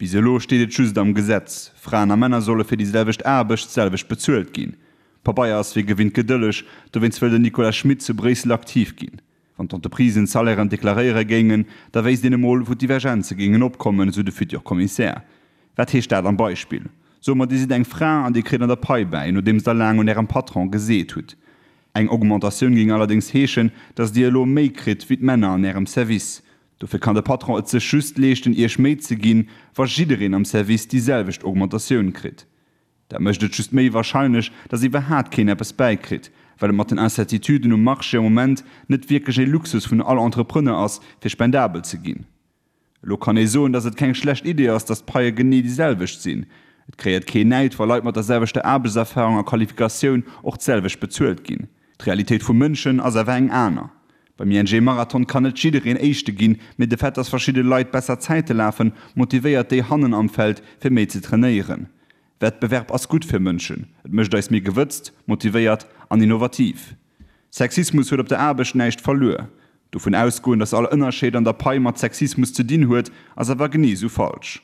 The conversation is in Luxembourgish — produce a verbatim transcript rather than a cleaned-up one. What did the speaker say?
Bis elo steet et just am Gesetz, Fraen a Männer solle fir déi selwecht Aarbecht d'selwecht bezuelt ginn. Pabeier ass wéi gewinnt gedëlleg, dowéinst wëll den Nicolas Schmit zu Bréissel aktiv ginn. Wann d'Entreprisen d'Salairen deklaréiere géingen, da wéisst een emol, wou d'Divergenze géingen opkommen, esou de Futur Kommissär. Wat heescht dat am Beispill? Soe mer, Dir sidd eng Fra an Dir kritt an der Pai bäi, nodeems Der laang un Ärem Patron geseet hutt. Eng Augmentatioun géing allerdéngs heeschen, datt Dir elo méi kritt wéi d'Männer an Ärem Service. Dofir kann de Patron et sech just leeschten, Iech méi ze ginn, wa jiddereen am Service déi selwecht Augmentatioun kritt. Dat mécht et just méi warscheinlech, datt iwwerhaat keen eppes bäikritt, well et mat den Incertituden um Marché am Moment net wierklech ee Luxus vun all Entrepreneur ass, fir spendabel ze ginn. Elo kann ee soen, datt et keng schlecht Idee ass, datt d'Paie genee déi selwecht sinn. Et kreéiert keen Näid, wa Leit mat der selwechter Aarbechtserfarung a Qualifikatioun och d'selwecht bezuelt ginn. D'Realitéit vum Mënschen ass awer eng aner. Beim I N G Marathon kann net jiddereen Éischte ginn, mee de Fait, dass verschidde Leit besser Zäite lafen, motivéiert déi hannen am Feld, fir méi ze trainéieren. Wettbewerb ass gutt fir Mënschen, et mécht eis méi gewëtzt, motivéiert an innovativ. Sexismus huet op der Aarbecht näischt verluer. Dovun ausgoen, dass all Ënnerscheed an der Pai mat Sexismus ze dinn huet, ass awer genee sou falsch.